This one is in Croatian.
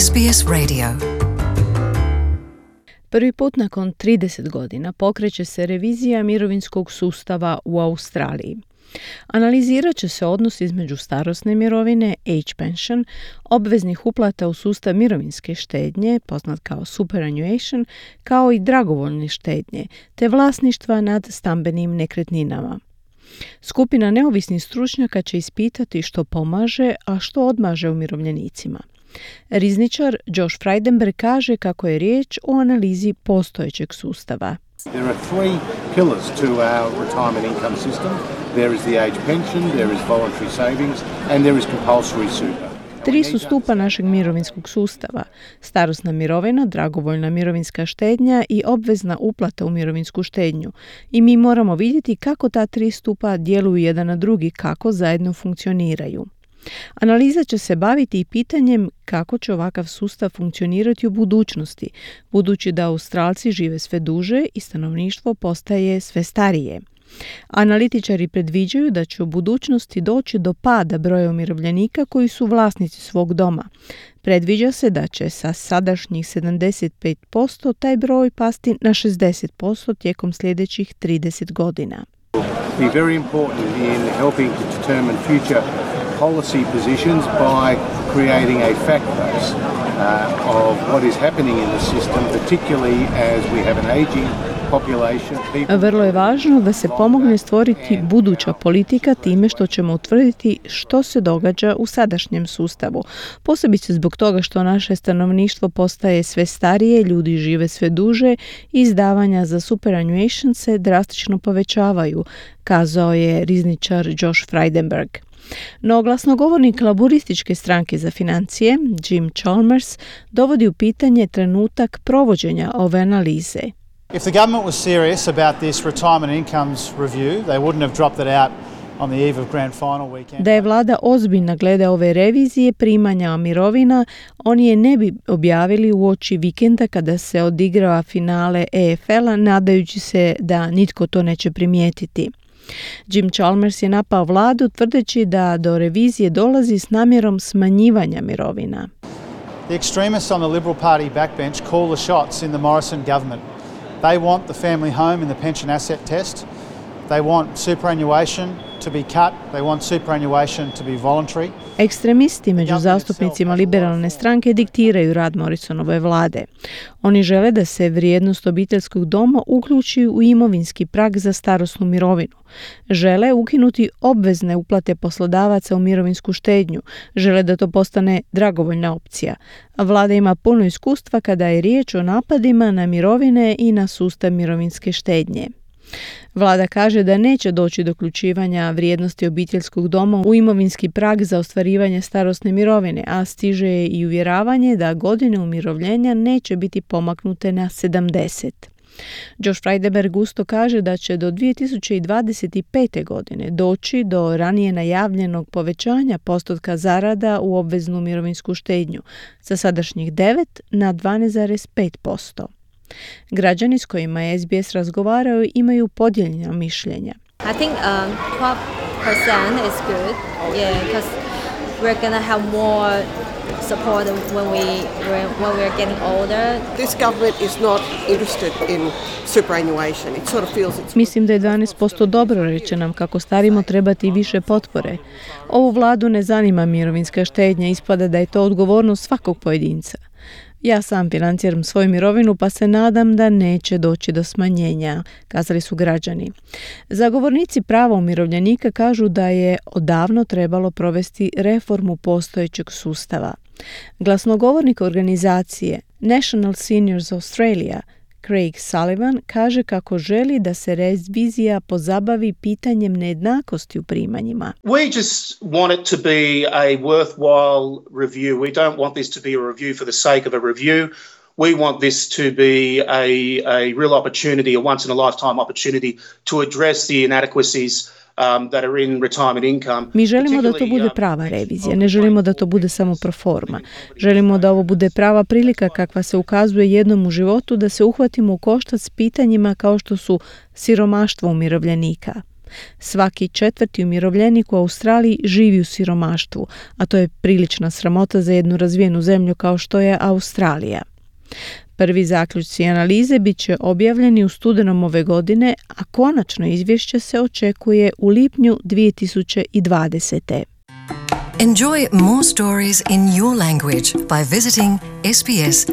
SBS Radio. Prvi put nakon 30 godina pokreće se revizija mirovinskog sustava u Australiji. Analizirat će se odnos između starosne mirovine, age pension, obveznih uplata u sustav mirovinske štednje, poznat kao superannuation, kao i dragovoljne štednje, te vlasništva nad stambenim nekretninama. Skupina neovisnih stručnjaka će ispitati što pomaže, a što odmaže umirovljenicima. Rizničar Josh Frydenberg kaže kako je riječ o analizi postojećeg sustava. There are three pillars to our retirement income system. There is the age pension, there is voluntary savings, and there is compulsory super. Tri su stupa našeg mirovinskog sustava: starosna mirovina, dragovoljna mirovinska štednja i obvezna uplata u mirovinsku štednju. I mi moramo vidjeti kako ta tri stupa djeluju jedan na drugi, kako zajedno funkcioniraju. Analiza će se baviti i pitanjem kako će ovakav sustav funkcionirati u budućnosti, budući da Australci žive sve duže i stanovništvo postaje sve starije. Analitičari predviđaju da će u budućnosti doći do pada broja umirovljenika koji su vlasnici svog doma. Predviđa se da će sa sadašnjih 75% taj broj pasti na 60% tijekom sljedećih 30 godina. Be very important in helping to determine future policy positions by creating a fact base of what is happening in the system, particularly as we have an aging population. Vrlo je važno da se pomogne stvoriti buduća politika time što ćemo utvrditi što se događa u sadašnjem sustavu. Posebice zbog toga što naše stanovništvo postaje sve starije, ljudi žive sve duže i izdavanja za superannuation se drastično povećavaju, kazao je rizničar Josh Frydenberg. No glasnogovornik laburističke stranke za financije, Jim Chalmers, dovodi u pitanje trenutak provođenja ove analize. If the government was serious about this retirement incomes review, they wouldn't have dropped it out on the eve of grand final weekend. Da je vlada ozbiljna glede ove revizije primanja mirovina, oni je ne bi objavili uoči vikenda kada se odigrava finale EFL-a, nadajući se da nitko to neće primijetiti. Jim Chalmers je napao vladu tvrdeći da do revizije dolazi s namjerom smanjivanja mirovina. The extremists on the Liberal Party backbench call the shots in the Morrison government. They want the family home in the pension asset test. They want superannuation to be cut. They want superannuation to be voluntary. Ekstremisti među zastupnicima liberalne stranke diktiraju rad Morrisonove vlade. Oni žele da se vrijednost obiteljskog doma uključi u imovinski prag za starosnu mirovinu. Žele ukinuti obvezne uplate poslodavaca u mirovinsku štednju. Žele da to postane dragovoljna opcija. Vlada ima puno iskustva kada je riječ o napadima na mirovine i na sustav mirovinske štednje. Vlada kaže da neće doći do uključivanja vrijednosti obiteljskog doma u imovinski prag za ostvarivanje starosne mirovine, a stiže i uvjeravanje da godine umirovljenja neće biti pomaknute na 70. Josh Frydenberg gusto kaže da će do 2025. godine doći do ranije najavljenog povećanja postotka zarada u obveznu mirovinsku štednju sa sadašnjih 9 na 12,5%. Građani s kojima je SBS razgovarao imaju podijeljena mišljenja. I think 12% is good, because we're going to have more support when we're getting older. This government is not interested in superannuation. It sort of feels it's... Mislim da je 12% dobro, reče nam kako starimo trebati više potpore. Ovu vladu ne zanima mirovinska štednja, ispada da je to odgovornost svakog pojedinca. Ja sam financiram svoju mirovinu pa se nadam da neće doći do smanjenja, kazali su građani. Zagovornici prava umirovljenika kažu da je odavno trebalo provesti reformu postojećeg sustava. Glasnogovornik organizacije National Seniors Australia, Craig Sullivan, kaže kako želi da se revizija pozabavi pitanjem nejednakosti u primanjima. We just want it to be a worthwhile review. We don't want this to be a review for the sake of a review. We want this to be a real opportunity, a once in a lifetime opportunity to address the inadequacies that are in retirement income. Mi želimo da to bude prava revizija, ne želimo da to bude samo proforma. Želimo da ovo bude prava prilika kakva se ukazuje jednom u životu da se uhvatimo u koštac s pitanjima kao što su siromaštvo umirovljenika. Svaki 4. umirovljenik u Australiji živi u siromaštvu, a to je prilična sramota za jednu razvijenu zemlju kao što je Australija. Prvi zaključci analize bit će objavljeni u studenom ove godine, a konačno izvješće se očekuje u lipnju 2020. Enjoy more stories in your language by visiting sbs.com.au.